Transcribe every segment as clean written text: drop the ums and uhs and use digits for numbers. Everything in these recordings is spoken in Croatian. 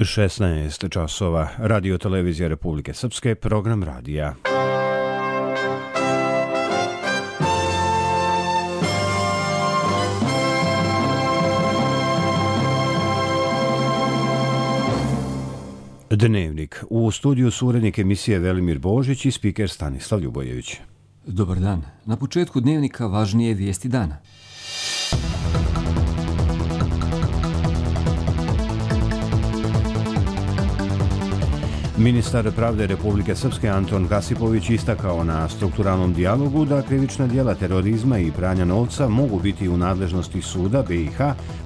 16 časova. Radio televizija Republike Srpske, program radija. Dnevnik. U studiju su urednik emisije Velimir Božić i spiker Stanislav Ljubojević. Dobar dan. Na početku dnevnika važnije vijesti dana. Ministar pravde Republike Srpske Anton Kasipović istakao na strukturalnom dijalogu da krivična djela terorizma i pranja novca mogu biti u nadležnosti suda BiH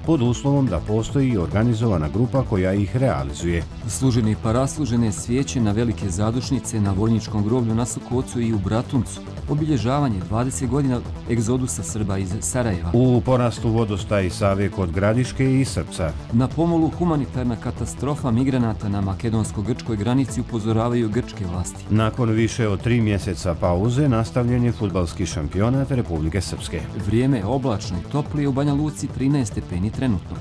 pod uslovom da postoji organizovana grupa koja ih realizuje. Služene i paraslužene svijeće na velike zadušnice na vojničkom groblju na Sokocu i u Bratuncu. Obilježavanje 20 godina egzodusa Srba iz Sarajeva. U porastu vodostaj Save kod Gradiške i Srpca. Na pomolu humanitarna katastrofa migranata na makedonsko-grčkoj granici upozoravaju grčke vlasti. Nakon više od 3 mjeseca pauze nastavljen je fudbalski šampionat Republike Srpske. Vrijeme je oblačno i toplije, u Banja Luci 13 stepeni trenutno.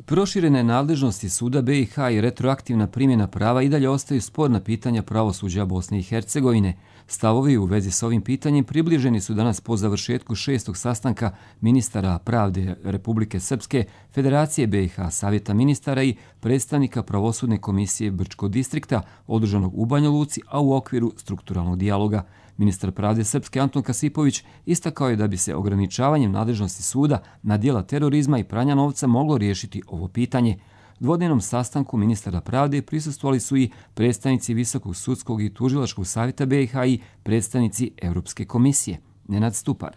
Proširene nadležnosti suda BiH i retroaktivna primjena prava i dalje ostaju sporna pitanja pravosuđa Bosne i Hercegovine. Stavovi u vezi s ovim pitanjem približeni su danas po završetku 6. sastanka ministara pravde Republike Srpske, Federacije BiH, Savjeta ministara i predstavnika pravosudne komisije Brčkog distrikta održanog u Banja Luci, a u okviru strukturalnog dijaloga. Ministar pravde Srpske Anton Kasipović istakao je da bi se ograničavanjem nadležnosti suda na djela terorizma i pranja novca moglo riješiti ovo pitanje. Dvodnevnom sastanku ministara pravde prisustvovali su i predstavnici Visokog sudskog i tužilačkog savjeta BiH i predstavnici Europske komisije. Nenad Stupar.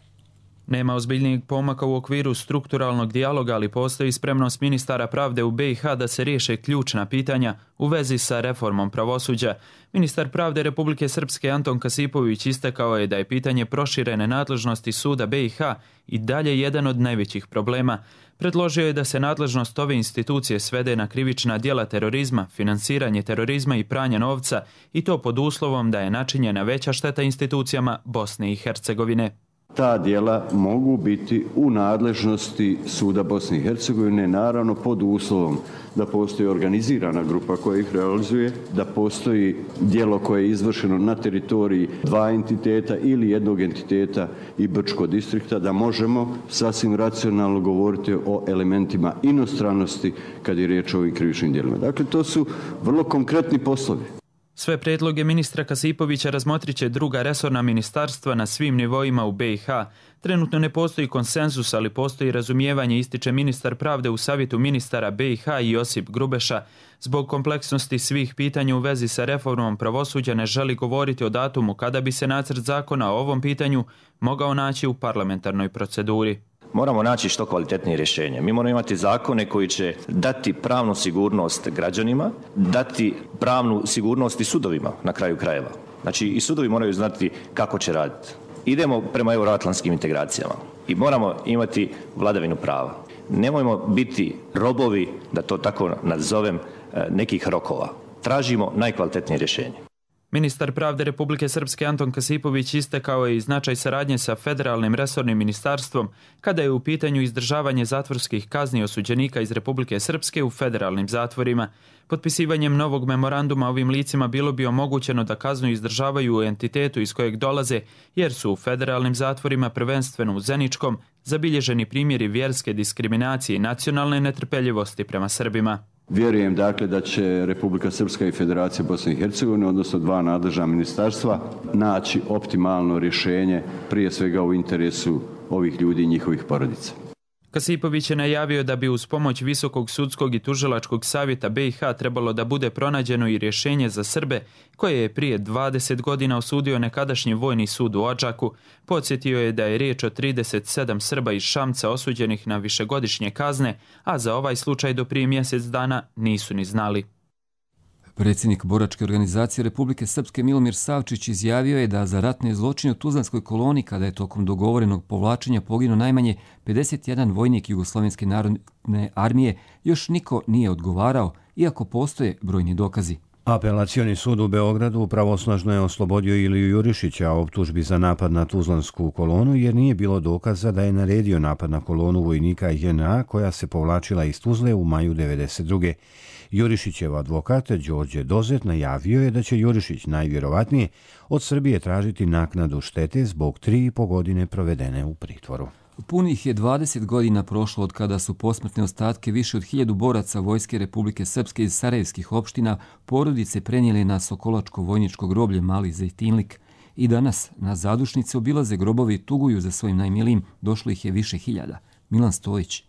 Nema ozbiljnijeg pomaka u okviru strukturalnog dijaloga, ali postoji spremnost ministara pravde u BiH da se riješe ključna pitanja u vezi sa reformom pravosuđa. Ministar pravde Republike Srpske Anton Kasipović istakao je da je pitanje proširene nadležnosti suda BiH i dalje jedan od najvećih problema. Predložio je da se nadležnost ove institucije svede na krivična djela terorizma, finansiranje terorizma i pranja novca, i to pod uslovom da je načinjena veća šteta institucijama Bosne i Hercegovine. Ta djela mogu biti u nadležnosti suda Bosne i Hercegovine, naravno pod uslovom da postoji organizirana grupa koja ih realizuje, da postoji djelo koje je izvršeno na teritoriji 2 entiteta ili jednog entiteta i Brčkog distrikta, da možemo sasvim racionalno govoriti o elementima inostranosti kad je riječ o ovim krivičnim djelima. Dakle, to su vrlo konkretni poslovi. Sve prijedloge ministra Kasipovića razmotrit će druga resorna ministarstva na svim nivoima u BiH. Trenutno ne postoji konsenzus, ali postoji razumijevanje, ističe ministar pravde u savjetu ministara BiH i Josip Grubeša. Zbog kompleksnosti svih pitanja u vezi sa reformom pravosuđa ne želi govoriti o datumu kada bi se nacrt zakona o ovom pitanju mogao naći u parlamentarnoj proceduri. Moramo naći što kvalitetnije rješenje. Mi moramo imati zakone koji će dati pravnu sigurnost građanima, dati pravnu sigurnost i sudovima na kraju krajeva. Znači i sudovi moraju znati kako će raditi. Idemo prema euroatlantskim integracijama i moramo imati vladavinu prava. Nemojmo biti robovi, da to tako nazovem, nekih rokova. Tražimo najkvalitetnije rješenje. Ministar pravde Republike Srpske Anton Kasipović istakao je i značaj saradnje sa federalnim resornim ministarstvom kada je u pitanju izdržavanje zatvorskih kazni osuđenika iz Republike Srpske u federalnim zatvorima. Potpisivanjem novog memoranduma ovim licima bilo bi omogućeno da kaznu izdržavaju u entitetu iz kojeg dolaze, jer su u federalnim zatvorima, prvenstveno u Zeničkom, zabilježeni primjeri vjerske diskriminacije i nacionalne netrpeljivosti prema Srbima. Vjerujem dakle da će Republika Srpska i Federacija Bosne i Hercegovine, odnosno 2 nadležna ministarstva, naći optimalno rješenje, prije svega u interesu ovih ljudi i njihovih porodica. Kasipović je najavio da bi uz pomoć Visokog sudskog i tužilačkog savjeta BiH trebalo da bude pronađeno i rješenje za Srbe koje je prije 20 godina osudio nekadašnji vojni sud u Odžaku. Podsjetio je da je riječ o 37 Srba iz Šamca osuđenih na višegodišnje kazne, a za ovaj slučaj do prije mjesec dana nisu ni znali. Predsjednik boračke organizacije Republike Srpske Milomir Savčić izjavio je da za ratne zločine u Tuzlanskoj koloni, kada je tokom dogovorenog povlačenja poginuo najmanje 51 vojnik Jugoslovenske narodne armije, još niko nije odgovarao, iako postoje brojni dokazi. Apelacioni sud u Beogradu pravosnažno je oslobodio Iliju Jurišića optužbi za napad na Tuzlansku kolonu jer nije bilo dokaza da je naredio napad na kolonu vojnika JNA koja se povlačila iz Tuzle u maju 1992. Jurišićev advokat Đorđe Dozet najavio je da će Jurišić najvjerovatnije od Srbije tražiti naknadu štete zbog 3,5 godine provedene u pritvoru. Punih je 20 godina prošlo od kada su posmrtne ostatke više od 1000 boraca Vojske Republike Srpske iz sarajevskih opština porodice prenijeli na Sokolačko vojničko groblje Mali Zejtinlik. I danas na zadušnice obilaze grobovi i tuguju za svojim najmilijim, došlo ih je više hiljada. Milan Stojić.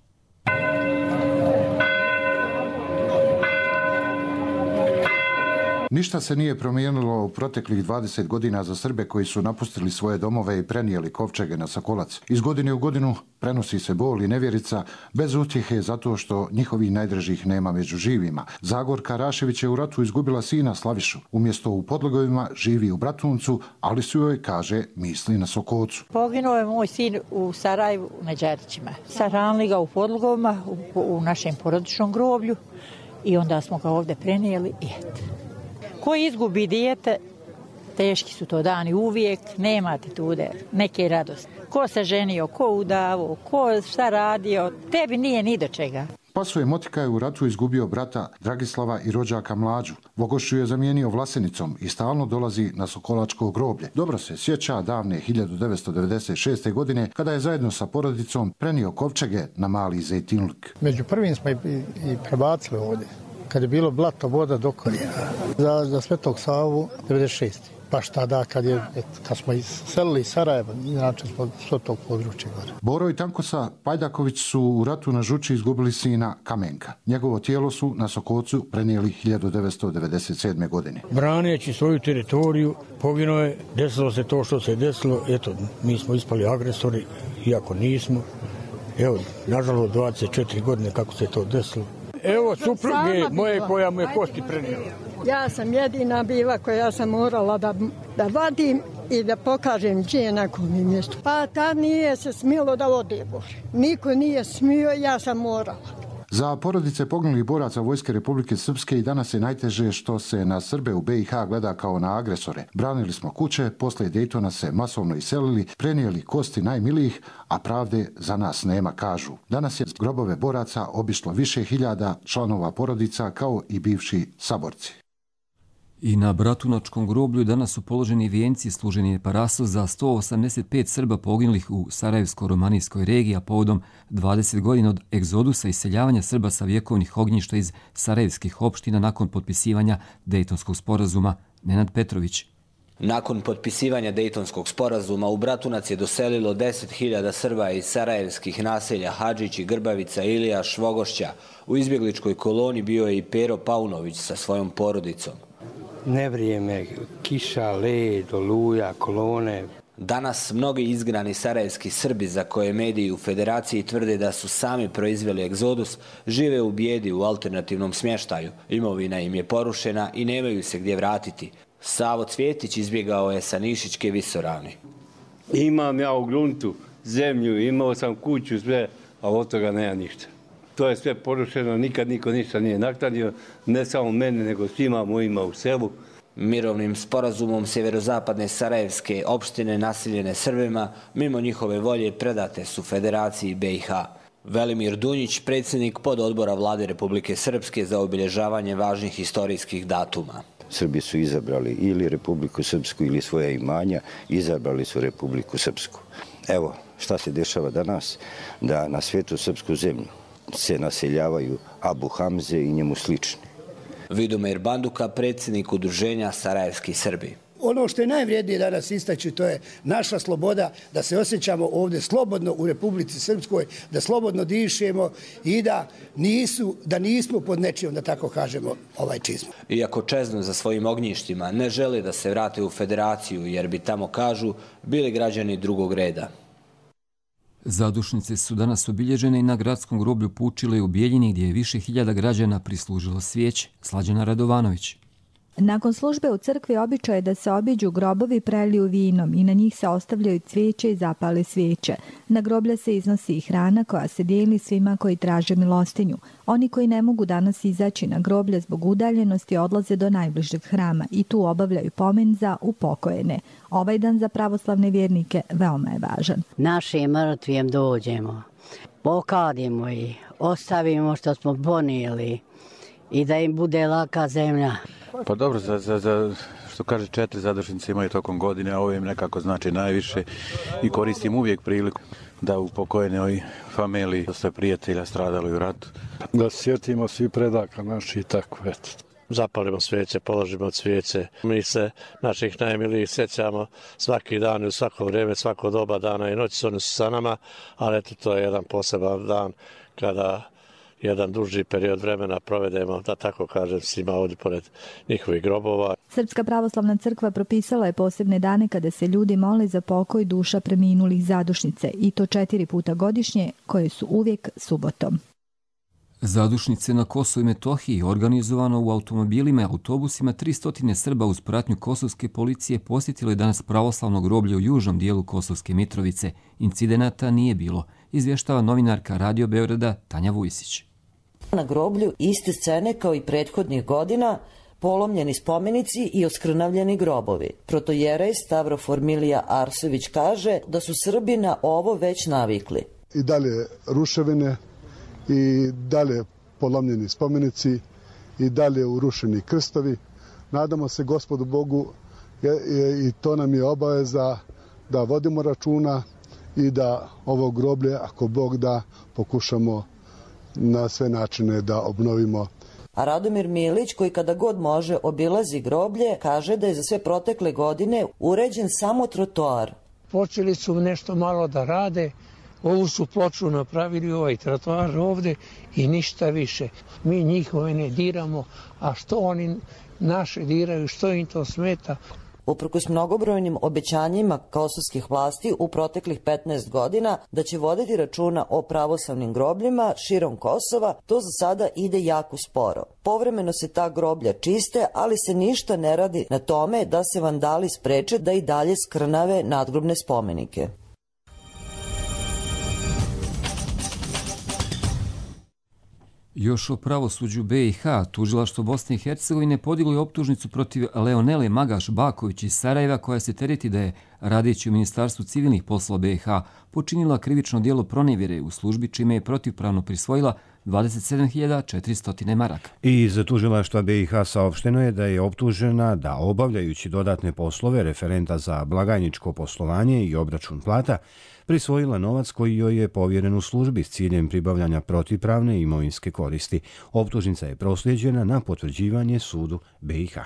Ništa se nije promijenilo u proteklih 20 godina za Srbe koji su napustili svoje domove i prenijeli kovčege na Sokolac. Iz godine u godinu prenosi se bol i nevjerica bez utjehe zato što njihovih najdražih nema među živima. Zagorka Rašević je u ratu izgubila sina Slavišu. Umjesto u Podlogovima živi u Bratuncu, ali su joj, kaže, misli na Sokocu. Poginuo je moj sin u Sarajevu na Đarićima. Sahranili ga u Podlogovima, u našem porodičnom groblju i onda smo ga ovdje prenijeli i eto. Ko izgubi dijete, teški su to dani uvijek, nemate tu neke radosti. Ko se ženio, ko udavo, ko šta radio, tebi nije ni do čega. Pasuje Motika je u ratu izgubio brata Dragislava i rođaka Mlađu. Vogošću je zamijenio Vlasenicom i stalno dolazi na Sokolačko groblje. Dobro se sjeća davne 1996. godine kada je zajedno sa porodicom prenio kovčege na Mali Zejtinlik. Među prvim smo i prebacili ovdje. Kad je bilo blato, voda do koljena. Za Svetog Savu 96. Baš tada kad smo iselili iz Sarajeva, inače smo s tog područja gore. Boro i Tankosa Pajdaković su u ratu na Žuči izgubili sina Kamenka. Njegovo tijelo su na Sokocu prenijeli 1997. godine. Braneći svoju teritoriju, poginuo je, desilo se to što se desilo. Eto, mi smo ispali agresori, iako nismo. Evo, nažalost, 24 godine kako se to desilo. Evo supruge moje koja mu je kosti prenijela. Ja sam jedina bila koja sam morala da vadim i da pokažem gdje je na kom mjestu. Pa tad nije se smjelo da ode gore. Niko nije smio, ja sam morala. Za porodice poginulih boraca Vojske Republike Srpske i danas je najteže što se na Srbe u BiH gleda kao na agresore. Branili smo kuće, poslije Dejtona se masovno iselili, prenijeli kosti najmilijih, a pravde za nas nema, kažu. Danas je grobove boraca obišlo više hiljada članova porodica kao i bivši saborci. I na Bratunačkom groblju danas su položeni vijenci služeni paraso za 185 Srba poginulih u Sarajevsko-romanijskoj regiji, a povodom 20 godina od egzodusa i iseljavanja Srba sa vjekovnih ognjišta iz sarajevskih opština nakon potpisivanja Dejtonskog sporazuma. Nenad Petrović. Nakon potpisivanja Dejtonskog sporazuma u Bratunac je doselilo 10.000 Srba iz sarajevskih naselja Hadžić i Grbavica, Ilija, Švogošća. U izbjegličkoj koloni bio je i Pero Paunović sa svojom porodicom. Nevrijeme, kiša, led, oluja, kolone. Danas mnogi izgnani sarajevski Srbi za koje mediji u Federaciji tvrde da su sami proizveli egzodus, žive u bijedi u alternativnom smještaju. Imovina im je porušena i nemaju se gdje vratiti. Savo Cvjetić izbjegao je sa Nišićke Visoravni. Imam ja u gruntu zemlju, imao sam kuću, sve, a od toga nema ništa. To je sve porušeno, nikad niko ništa nije naknadio, ne samo mene, nego svima mojima u selu. Mirovnim sporazumom sjeverozapadne sarajevske opštine naseljene Srbima, mimo njihove volje predate su Federaciji BiH. Velimir Dunjić, predsjednik pododbora Vlade Republike Srpske za obilježavanje važnih historijskih datuma. Srbi su izabrali ili Republiku Srpsku ili svoje imanja, izabrali su Republiku Srpsku. Evo šta se dešava danas, da na svijetu srpsku zemlju se naseljavaju Abu Hamze i njemu slični. Vidomir Banduka, predsjednik udruženja Sarajevski Srbi. Ono što je najvrijednije danas istaći, to je naša sloboda, da se osjećamo ovdje slobodno u Republici Srpskoj, da slobodno dišemo i da nismo pod nečijom, da tako kažemo, čizmom. Iako čeznu za svojim ognjištima, ne žele da se vrate u Federaciju, jer bi tamo, kažu, bili građani drugog reda. Zadušnice su danas obilježene i na gradskom groblju Pučile u Bijeljini, gdje je više hiljada građana prislužilo svijeće. Slađana Radovanović. Nakon službe u crkvi običaj je da se obiđu grobovi preliju vinom i na njih se ostavljaju cvijeće i zapale svijeće. Na groblja se iznosi i hrana koja se dijeli svima koji traže milostinju. Oni koji ne mogu danas izaći na groblje zbog udaljenosti odlaze do najbližeg hrama i tu obavljaju pomen za upokojene. Ovaj dan za pravoslavne vjernike veoma je važan. Našim mrtvijem dođemo, pokadimo ih, ostavimo što smo ponijeli i da im bude laka zemlja. Pa dobro, za što kaže 4 zadušnice imaju tokom godine, a ovo im nekako znači najviše i koristim uvijek priliku da upokojene familiji dosta prijatelja stradali u ratu. Da sjetimo svi predaka naši i tako, eto. Zapalimo svijeće, položimo cvijeće. Mi se naših najmilijih sjećamo svaki dan i u svako vrijeme, svako doba dana i noći, oni su sa nama, ali eto to je jedan poseban dan kada jedan duži period vremena provedemo, da tako kažem, svima ovdje pored njihovih grobova. Srpska pravoslavna crkva propisala je posebne dane kada se ljudi mole za pokoj duša preminulih zadušnice i to 4 puta godišnje, koje su uvijek subotom. Zadušnice na Kosovu i Metohiji organizovano u automobilima i autobusima 300 Srba uz pratnju kosovske policije posjetilo je danas pravoslavno groblje u južnom dijelu Kosovske Mitrovice. Incidenata nije bilo, izvještava novinarka Radio Beograda Tanja Vujsić. Na groblju iste scene kao i prethodnih godina, polomljeni spomenici i oskrnavljeni grobovi. Protojerej Stavrofor Milija Arsović kaže da su Srbi na ovo već navikli. I dalje ruševine, i dalje polomljeni spomenici, i dalje urušeni krstovi. Nadamo se Gospodu Bogu i to nam je obaveza da vodimo računa i da ovo groblje, ako Bog da, pokušamo na sve načine da obnovimo. A Radomir Milić, koji kada god može obilazi groblje, kaže da je za sve protekle godine uređen samo trotoar. Počeli su nešto malo da rade, ovu su ploču napravili, ovaj trotoar ovde i ništa više. Mi njihove ne diramo, a što oni naše diraju, što im to smeta? Uprkos mnogobrojnim obećanjima kosovskih vlasti u proteklih 15 godina da će voditi računa o pravoslavnim grobljima širom Kosova, to za sada ide jako sporo. Povremeno se ta groblja čiste, ali se ništa ne radi na tome da se vandali spreče da i dalje skrnave nadgrobne spomenike. Još o pravosuđu BiH, tužilaštvo Bosne i Hercegovine podiglo je optužnicu protiv Leonele Magaš-Baković iz Sarajeva, koja se tereti da je, radeći u Ministarstvu civilnih poslova BiH, počinila krivično djelo pronevjere u službi, čime je protivpravno prisvojila 27.400 maraka. Iz tužilaštva BiH saopšteno je da je optužena da, obavljajući dodatne poslove referenta za blagajničko poslovanje i obračun plata, prisvojila novac koji joj je povjeren u službi s ciljem pribavljanja protivpravne imovinske koristi. Optužnica je proslijeđena na potvrđivanje sudu BiH.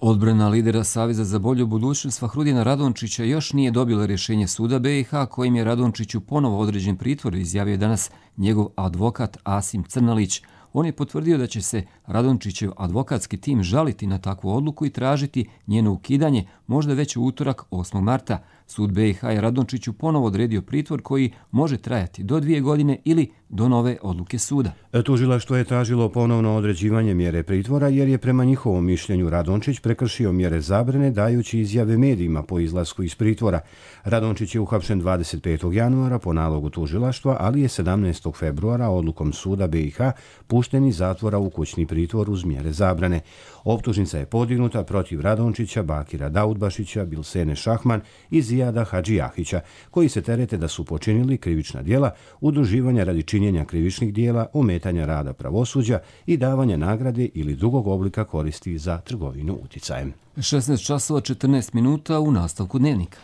Odbrana lidera Saveza za bolju budućnost Fahrudina Radončića još nije dobila rješenje suda BiH, kojim je Radončiću ponovo određen pritvor, izjavio danas njegov advokat Asim Crnalić. On je potvrdio da će se Radončićev advokatski tim žaliti na takvu odluku i tražiti njeno ukidanje, možda već u utorak 8. marta. Sud BiH je Radončiću ponovo odredio pritvor koji može trajati do 2 godine ili do nove odluke suda. Tužilaštvo je tražilo ponovno određivanje mjere pritvora jer je prema njihovom mišljenju Radončić prekršio mjere zabrane dajući izjave medijima po izlasku iz pritvora. Radončić je uhapšen 25. januara po nalogu tužilaštva, ali je 17. februara odlukom suda BiH pušten iz zatvora u kućni pritvor uz mjere zabrane. Optužnica je podignuta protiv Radončića, Bakira Daudbašića, Bilsene Šahman i Zijada Hadžijahića, koji se terete da su počinili krivična djela udruživanja radi činjenja krivičnih djela, ometanja rada pravosuđa i davanja nagrade ili drugog oblika koristi za trgovinu uticajem. 16:14 u nastavku dnevnika.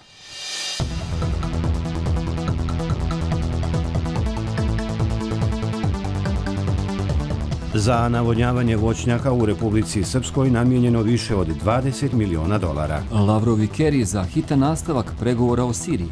Za navodnjavanje voćnjaka u Republici Srpskoj namijenjeno više od $20 miliona. Lavrov i Kerry za hitan nastavak pregovora o Siriji.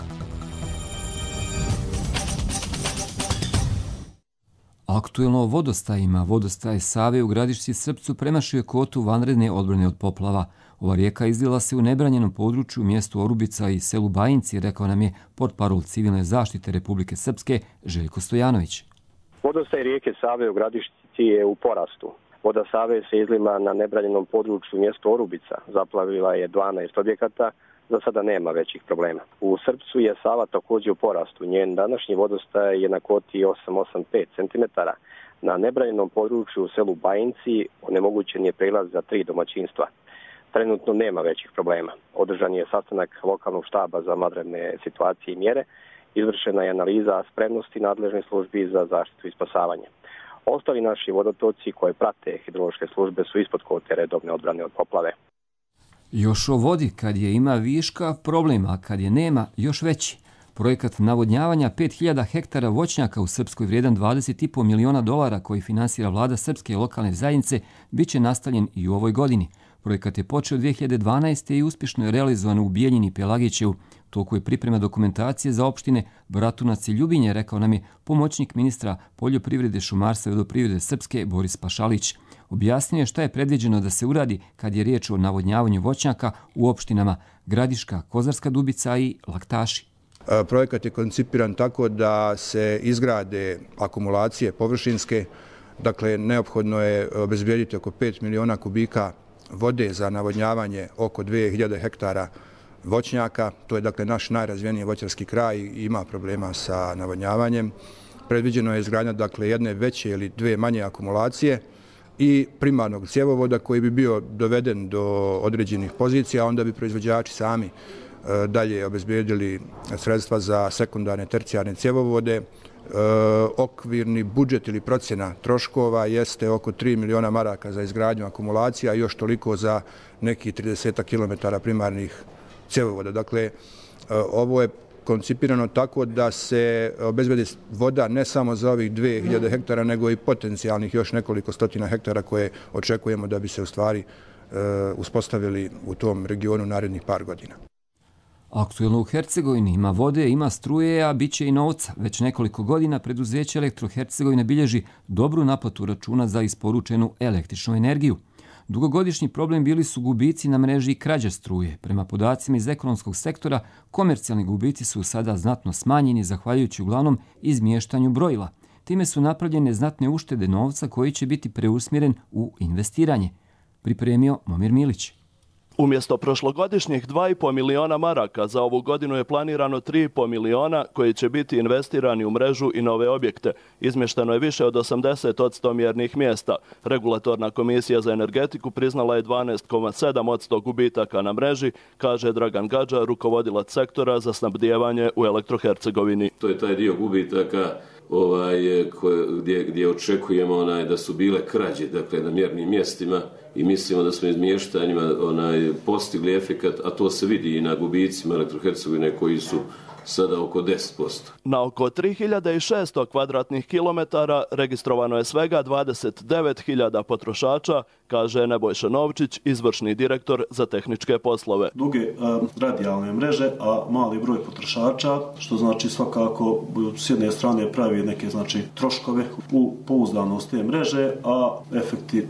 Aktuelno o vodostajima. Vodostaj Save u Gradišci Srpcu premašio kvotu vanredne odbrane od poplava. Ova rijeka izlila se u nebranjenom području mjestu Orubica i selu Bajinci, rekao nam je portparol civilne zaštite Republike Srpske Željko Stojanović. Vodostaj rijeke Save u Gradišci je u porastu. Voda Save se izlila na nebranjenom području mjesto Orubica, zaplavila je 12 objekata, za sada nema većih problema. U Srpcu je Sava također u porastu, njen današnji vodostaj je na kvoti 8,85 cm. Na nebranjenom području u selu Bajinci onemogućen je prelaz za 3 domaćinstva. Trenutno nema većih problema. Održan je sastanak lokalnog štaba za vanredne situacije i mjere, izvršena je analiza spremnosti nadležnih službi za zaštitu i spasavanje. Ostali naši vodotoci koje prate hidrološke službe su ispod kvote redovne odbrane od poplave. Još o vodi, kad je ima viška, problem, a kad je nema, još veći. Projekat navodnjavanja 5000 hektara voćnjaka u Srpskoj vrijedan $20,5 miliona koji finansira vlada Srpske lokalne zajednice bit će nastavljen i u ovoj godini. Projekat je počeo 2012. i uspješno je realizovan u Bijeljini Pelagićevu. Toliko je priprema dokumentacije za opštine Bratunac i Ljubinje, rekao nam je pomoćnik ministra poljoprivrede, šumarstva i vodoprivrede Srpske Boris Pašalić. Objasnio je šta je predviđeno da se uradi kad je riječ o navodnjavanju voćnjaka u opštinama Gradiška, Kozarska Dubica i Laktaši. Projekat je koncipiran tako da se izgrade akumulacije površinske, dakle neophodno je obezbijediti oko 5 miliona kubika vode za navodnjavanje oko 2000 hektara voćnjaka. To je dakle naš najrazvijeniji voćarski kraj i ima problema sa navodnjavanjem. Predviđeno je izgradnja dakle jedne veće ili dvije manje akumulacije i primarnog cjevovoda koji bi bio doveden do određenih pozicija, onda bi proizvođači sami dalje obezbijedili sredstva za sekundarne, tercijarne cjevovode. Okvirni budžet ili procjena troškova jeste oko 3 miliona maraka za izgradnju akumulacija i još toliko za nekih 30 km primarnih cjevovoda. Dakle, ovo je koncipirano tako da se obezbedi voda ne samo za ovih 2000 hektara, nego i potencijalnih još nekoliko stotina hektara koje očekujemo da bi se u stvari uspostavili u tom regionu narednih par godina. Aktuelno u Hercegovini ima vode, ima struje, a bit će i novca. Već nekoliko godina preduzeće Elektro-Hercegovine bilježi dobru naplatu računa za isporučenu električnu energiju. Dugogodišnji problem bili su gubici na mreži i krađa struje. Prema podacima iz ekonomskog sektora, komercijalni gubici su sada znatno smanjeni zahvaljujući uglavnom izmještanju brojila. Time su napravljene znatne uštede novca koji će biti preusmjeren u investiranje. Pripremio Momir Milić. Umjesto prošlogodišnjih 2,5 miliona maraka, za ovu godinu je planirano 3,5 miliona koji će biti investirani u mrežu i nove objekte. Izmješteno je više od 80% mjernih mjesta. Regulatorna komisija za energetiku priznala je 12,7% gubitaka na mreži, kaže Dragan Gadža, rukovodilac sektora za snabdijevanje u Elektro-Hercegovini. To je taj dio gubitaka gdje očekujemo da su bile krađe, dakle na mjernim mjestima, i mislimo da smo izmještanjima postigli efekat, a to se vidi i na gubicima Elektro-Hercegovine koji su sada oko 10%. Na oko 3600 kvadratnih kilometara registrovano je svega 29.000 potrošača, kaže Nebojša Novčić, izvršni direktor za tehničke poslove. Duge radijalne mreže, a mali broj potrošača, što znači svakako s jedne strane pravi neke troškove u pouzdanost te mreže, a efekti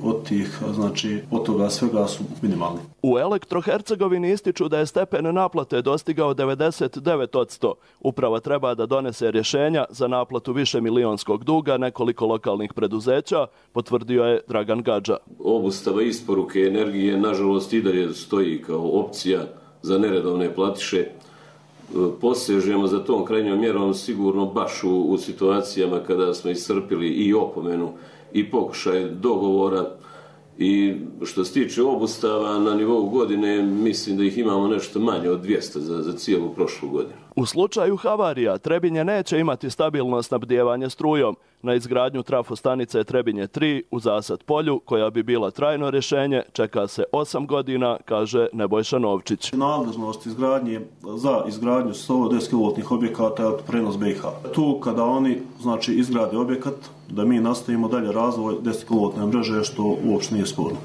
od toga svega su minimalni. U Elektro-Hercegovini ističu da je stepen naplate dostigao 99%. Uprava treba da donese rješenja za naplatu više milionskog duga nekoliko lokalnih preduzeća, potvrdio je Dragan Gadža. Obustava isporuke energije nažalost i dalje stoji kao opcija za neredovne platiše. Posežemo za tom krajnjom mjerom sigurno baš u situacijama kada smo iscrpili i opomenu i pokušaj dogovora. I što se tiče obustava na nivou godine, mislim da ih imamo nešto manje od 200 za cijelu prošlu godinu. U slučaju havarija Trebinje neće imati stabilno snabdijevanje strujom. Na izgradnju trafostanice Trebinje 3 u Zasad polju, koja bi bila trajno rješenje, čeka se 8 godina, kaže Nebojša Novčić. Nadležnost za izgradnju 110 kV objekata je prenos BiH. Tu kada oni izgrade objekat, da mi nastavimo dalje razvoj 10 kV mreže, što uopšte nije sporno.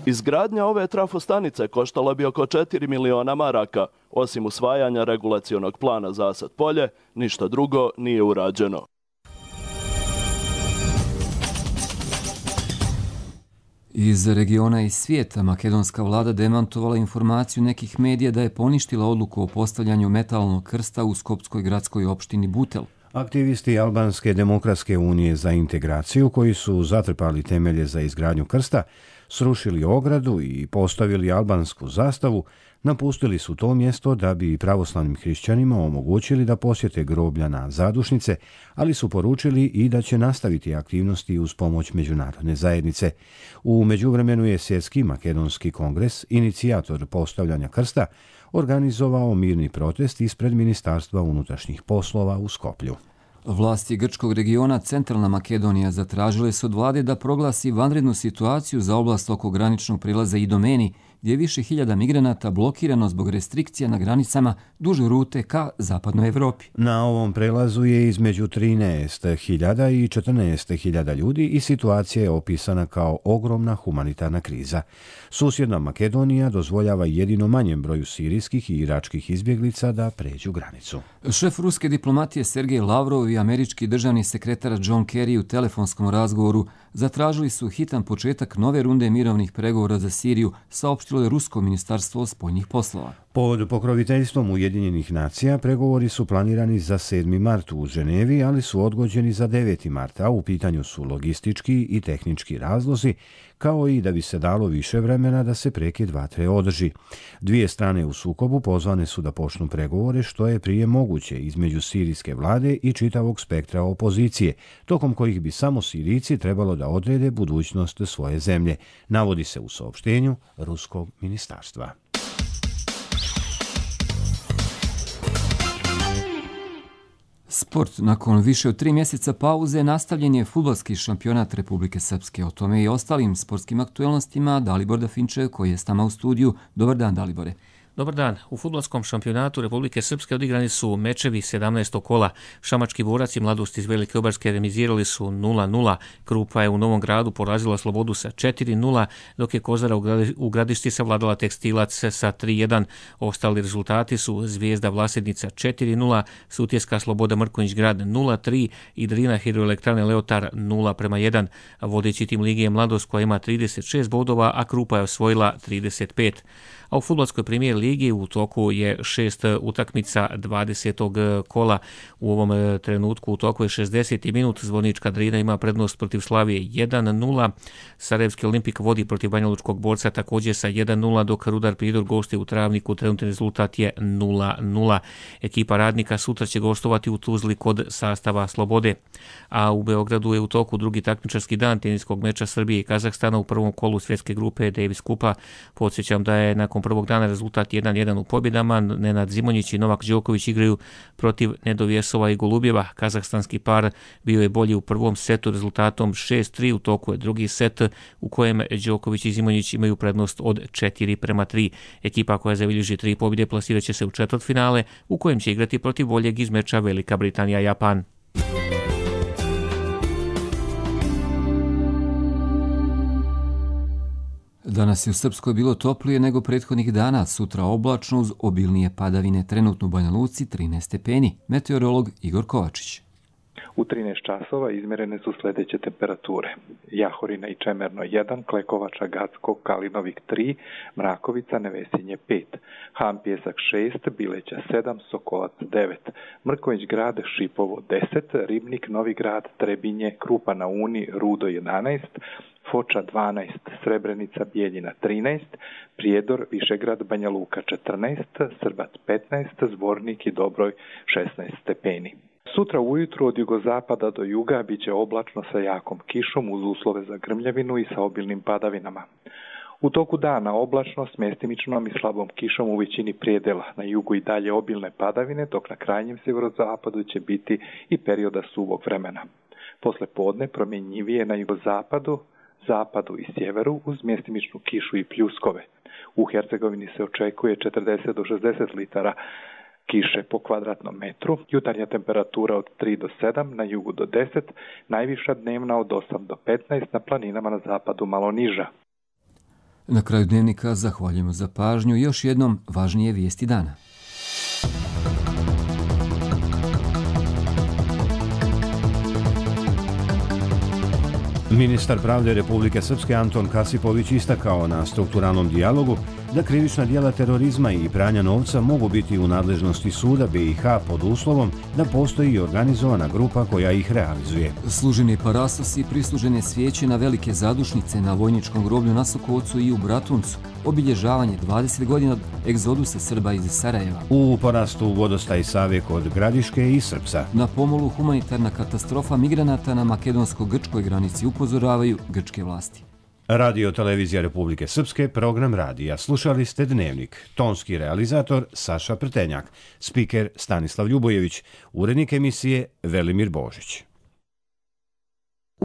Izgradnja ove trafostanice koštala bi oko 4 miliona maraka. Osim usvajanja regulacionog plana Zasad polje, ništa drugo nije urađeno. Iz regiona i svijeta makedonska vlada demantovala informaciju nekih medija da je poništila odluku o postavljanju metalnog krsta u skopskoj gradskoj opštini Butel. Aktivisti Albanske demokratske unije za integraciju, koji su zatrpali temelje za izgradnju krsta, srušili ogradu i postavili albansku zastavu, napustili su to mjesto da bi pravoslavnim hrišćanima omogućili da posjete groblja na zadušnice, ali su poručili i da će nastaviti aktivnosti uz pomoć međunarodne zajednice. U međuvremenu je Svjetski makedonski kongres, inicijator postavljanja krsta, organizovao mirni protest ispred Ministarstva unutrašnjih poslova u Skoplju. Vlasti grčkog regiona Centralna Makedonija zatražile su od vlade da proglasi vanrednu situaciju za oblast oko graničnog prilaza Idomeni, gdje je više hiljada migranata blokirano zbog restrikcija na granicama duž rute ka zapadnoj Evropi. Na ovom prelazu je između 13.000 i 14.000 ljudi i situacija je opisana kao ogromna humanitarna kriza. Susjedna Makedonija dozvoljava jedino manjem broju sirijskih i iračkih izbjeglica da pređu granicu. Šef ruske diplomatije Sergej Lavrov i američki državni sekretar John Kerry u telefonskom razgovoru zatražili su hitan početak nove runde mirovnih pregovora za Siriju, saopštilo je Rusko ministarstvo spoljnih poslova. Pod pokroviteljstvom Ujedinjenih nacija pregovori su planirani za 7. mart u Ženevi, ali su odgođeni za 9. mart, a u pitanju su logistički i tehnički razlozi, kao i da bi se dalo više vremena da se prekid vatre održi. Dvije strane u sukobu pozvane su da počnu pregovore što je prije moguće između sirijske vlade i čitavog spektra opozicije, tokom kojih bi samo Sirijci trebalo da odrede budućnost svoje zemlje, navodi se u saopštenju Ruskog ministarstva. Sport. Nakon više od 3 mjeseca pauze nastavljen je fudbalski šampionat Republike Srpske. O tome i ostalim sportskim aktuelnostima Dalibor Dafinče, koji je s nama u studiju. Dobar dan, Dalibore. Dobar dan. U fudbalskom šampionatu Republike Srpske odigrani su mečevi 17. kola. Šamački borac i Mladost iz Velike Obarske remizirali su 0-0. Krupa je u Novom Gradu porazila Slobodu sa 4-0, dok je Kozara u Gradišti savladala Tekstilac sa 3-1. Ostali rezultati su Zvijezda Vlasednica 4-0, Sutjeska Sloboda Mrkonjić Grad 0-3 i Drina Hidroelektrane Leotar 0-1. Vodeći tim lige je Mladost koja ima 36 bodova, a Krupa je osvojila 35. A u fudbalskoj premijer ligi u toku je 6 utakmica 20. kola. U ovom trenutku u toku je 60. minut. Zvornička Drina ima prednost protiv Slavije 1-0. Sarajevski Olimpik vodi protiv Banjalučkog borca također sa 1-0, dok Rudar Pridor gosti u Travniku. Trenutni rezultat je 0-0. Ekipa Radnika sutra će gostovati u Tuzli kod sastava Slobode. A u Beogradu je u toku drugi takmičarski dan teniskog meča Srbije i Kazahstana u prvom kolu svjetske grupe Davis Kupa. Podsjećam da je nakon prvog dana rezultat 1-1 u pobjedama. Nenad Zimonjić i Novak Đoković igraju protiv Nedovjesova i Golubjeva. Kazahstanski par bio je bolji u prvom setu rezultatom 6-3. U toku je drugi set u kojem Đoković i Zimonjić imaju prednost od 4-3. Ekipa koja zabilježi 3 pobjede plasirat će se u četvrtfinale u kojem će igrati protiv boljeg iz meča Velika Britanija-Japan. Danas je u Srpskoj bilo toplije nego prethodnih dana, sutra oblačno uz obilnije padavine, trenutno u Banja Luci 13 stepeni. Meteorolog Igor Kovačić. U 13 časova izmjerene su sljedeće temperature. Jahorina i Čemerno 1, Klekovača, Gacko, Kalinovik 3, Mrakovica, Nevesinje 5, Han Pjesak 6, Bileća 7, Sokolac 9, Mrkonjić Grad, Šipovo 10, Ribnik, Novi Grad, Trebinje, Krupa na Uni, Rudo 11, Foča 12, Srebrenica, Bijeljina 13, Prijedor, Višegrad, Banja Luka 14, Srbac 15, Zvornik i Dobroj 16 stepeni. Sutra ujutru od jugozapada do juga bit će oblačno sa jakom kišom uz uslove za grmljavinu i sa obilnim padavinama. U toku dana oblačno s mjestimičnom i slabom kišom u većini prijedela, na jugu i dalje obilne padavine, dok na krajnjem sjeverozapadu će biti i perioda suvog vremena. Posle podne promjenjivije na jugozapadu, zapadu i sjeveru uz mjestimičnu kišu i pljuskove. U Hercegovini se očekuje 40 do 60 litara kiše po kvadratnom metru, jutarnja temperatura od 3 do 7, na jugu do 10, najviša dnevna od 8 do 15, na planinama na zapadu malo niža. Na kraju dnevnika zahvaljujemo za pažnju i još jednom važnije vijesti dana. Ministar pravde Republike Srpske Anton Kasipović istakao na strukturalnom dijalogu da krivična djela terorizma i pranja novca mogu biti u nadležnosti suda BiH pod uslovom da postoji organizovana grupa koja ih realizuje. Služeni parastosi, prislužene svijeće na velike zadušnice na vojničkom groblju na Sokocu i u Bratuncu, obilježavanje 20 godina od egzodusa Srba iz Sarajeva. U porastu vodostaj Save kod Gradiške i Srpca. Na pomolu humanitarna katastrofa migranata na makedonsko-grčkoj granici upozoravaju grčke vlasti. Radio Televizija Republike Srpske, program radija. Slušali ste Dnevnik. Tonski realizator Saša Prtenjak. Spiker Stanislav Ljubojević. Urednik emisije Velimir Božić.